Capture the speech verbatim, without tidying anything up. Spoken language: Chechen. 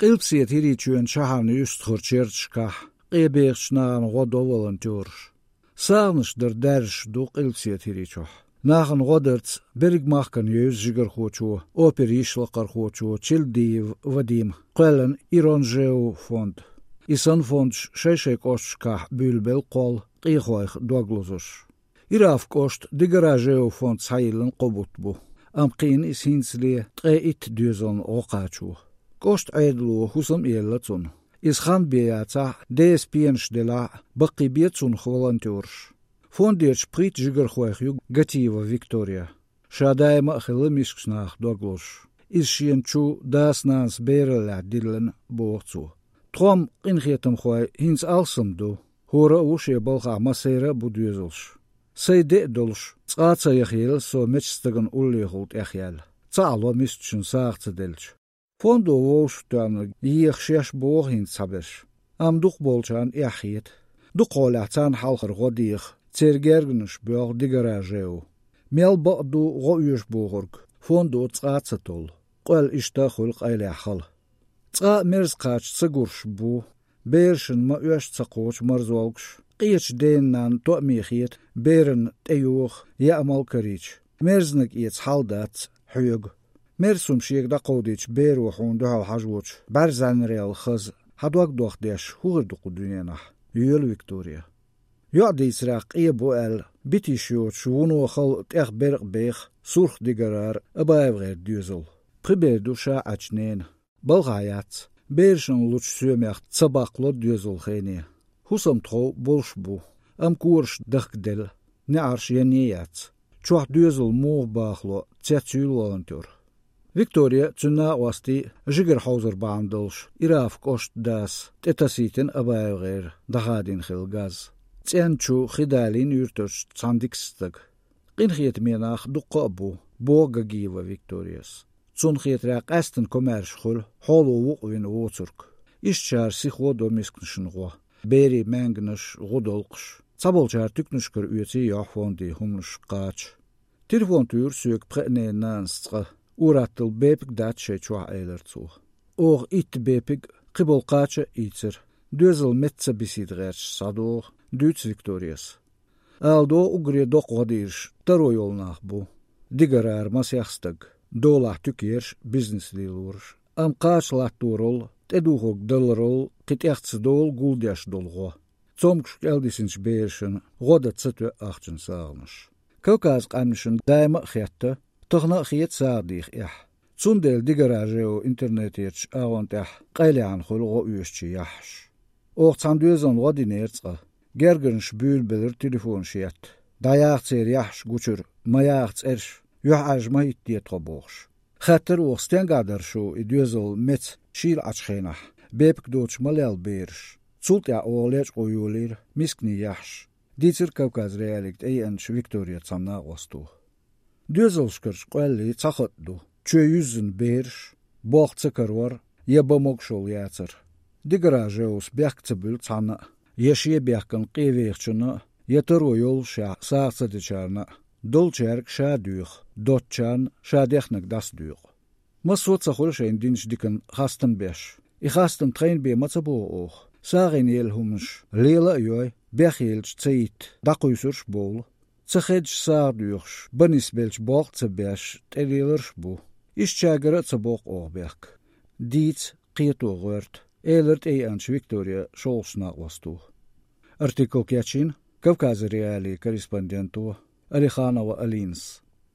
Къилбаседа ХӀирийчоьнан шахьарна юьстахарчу ярташкахь къе бехачу нахана гӀо до волонтёраша. СагӀанаш дар даьржаш ду Къилбаседа ХӀирийчохь. Нахана гӀо дарца берриг махкана евза жигархочо, опера йишлакхархочо Чилдиев Вадима кхоьллина «Иронжеу» фонд. И санна фондаш шай-шайн кӀошташкахь буьйлабелла кхолла къехойх дог лозуш. Ираф кӀоштан «Дигара Жеу» фонд схьайиллина кхо бутт бу, амма кхиъна иза хӀинцале ткъе итт доьзална гӀо кхачо. КӀоштан Ӏедало хӀусам а елла цунна. Иза хан бен яцахь а, деса пенаш делахь а, баккхийбе цунах волонтёраш. Фондерчу пхийтта жигархойх ю Гатиева Виктория. Ша даима а хилла мискачу нахах дог лозуш. Иза шена чу дас-нанас бераллехь диллина, боху цо. Тхо-м, къинхетамхой, хӀинца алссам ду. ХӀора а ву шен балхахь, массеран а бу доьзалш. Сайн де а долуш, цкъа а ца яхъелла со меччу стагана уллехула тӀехъяьлла, ца Ӏало мискачунна сагӀа ца делча. Фондо вовшахтоьхна еха шаьш боху хӀинца цхьаберш, амма дукхахболчарна эхь хета. Дукхахьолехь царна хьалхара гӀо деха, церан гергарнаш боьлху «Дигара Жеу». Мел бакъ ду гӀо оьшу бохург, фондо цкъа а ца толлу. Къоьлла иштта а хуьлу къайлаха хала. Цкъа а мерза кхача ца гурш бу, берашна ма-оьшшу ца кхочу марзолгаш, къечу ден-нанна тоъаме хета, берана тӀейоха, яа мала карийча, мерзаниг эца хьал дац хьоьга. Мерза хӀума шега дӀакховдийча беро хьуна дуьхьал хьажочу бӀаьрзаьннарел хаза, хьан дог дохдеш, хӀун хир ду кху дуьненахь, йоьлу Виктория. ЙоӀ дийцарехь къе бу аьлла, бита йиш йоцуш вуно хала тӀех беркъа беха Сурх-ДигаргӀара АбаевгӀеран доьзал. Пхи бер ду ша Ӏачу ненан. Балхахь яц, берашна лучу соьмех ца баккхало доьзал хене. ХӀусам тхов болуш бу, амма кораш дахкаделла, неӀарш янне а яц. Чохь доьзал муха бахало цецйуьйлу волонтёр. Виктория, цуьнан накъостий а жигара хьовзар бахьана долуш, Ираф кӀоштан дас тӀетасийтина АбаевгӀеран дӀахадийна хилла газ. ЦӀен чу хи далийна юьртарчу цхьана дикачу стага. Къинхетаме нах дуккха а бу, боху Гагиева Викторияс. Цунна хетарехь, къаьсттина комаьрша хуьлу хьоло вукъа вина воцург. Ишттачара сихо до мисканашна гӀо, берийн маьнганаш, гӀудолкхаш. Цхьаболчара туьканашкара оьций йохьу фонде хӀуманаш кхача. Телефон туьйхира соьга пхеа ненан нанас цкъа, ур-атталла бепиг дац шайн чохь, элира цо. Оха итт бепиг а, кхиболу кхача а ийцира. Доьзал метта ца бисийта гӀерташ схьадогӀу, дуьйцу Викторияс. Ала догӀу, уггаре доккха гӀо дийраш таро йолу нах бу. ДигаргӀара масех стаг, долахь туька ерш, бизнес лелораш. Амма кхача латторал, тӀедухург даларал кхин тӀех ца долу гулдеш долу гӀо. Цомгуш кӀелдисинчу берашна гӀо дан ца тоьа ахчанан сагӀанаш. Кавказан къаьмнашна даима а хетта, тахана а хета сагӀа деха эхь. Цундела «Дигара Жеу» интернетерчу агӀон тӀехь къайлаьхьна хуьлу гӀо оьшучийн яххьаш. Оха цхьана доьзална гӀо динера цкъа. Гергарнаш буьйлабелира телефонаш етта. ДӀаяха церан яххьаш гучура, ма яха цӀераш, юьхьӀаьржа ма хӀиттаде тхо бохуш. Хаьттира оха, стенгахь дара шу и доьзал меца шийла Ӏачу хенахь, бепиг доцуш ма лелла бераш. Цул тӀаьхьа оха лечкъо йолийра мисканийн яххьаш, дийцира Кавказ.Реалиига тӀееанчу Виктория цхьана накъосто. Доьзалшкарчу къоьллий цхьа хатӀ ду: чоь юьззина бераш, болх ца карор я бан могушалла яцар. «Дигара Жеус» бехк ца буьллу цхьанна а, я шен бехкана къе вехачунна а, я таро йоллушехь сагӀа ца дечарна а. Долчаьрга ша доьху, доцучарна ша дехнарг дӀасадоькъу. Массо а ца хуьлу шайна динчу диканна хастам беш. И хастам тхайна бен ма ца боху оха. СагӀина елла хӀуманаш лела а йой, бехъелча ца йитта, дӀакхуьйсурш а бовлу. Ца хедаш сагӀа доьхуш, бан нисбелча болх а ца беш, тӀелеларш а бу. Ишттачаьргара а ца боккху оха бехк. Дийца, кхето гӀоьрта, элира тӀееанчу Виктория шолгӀачу накъосто. Артикл кечйина Кавказ.Реалии корреспонденто Алиханова Алинас.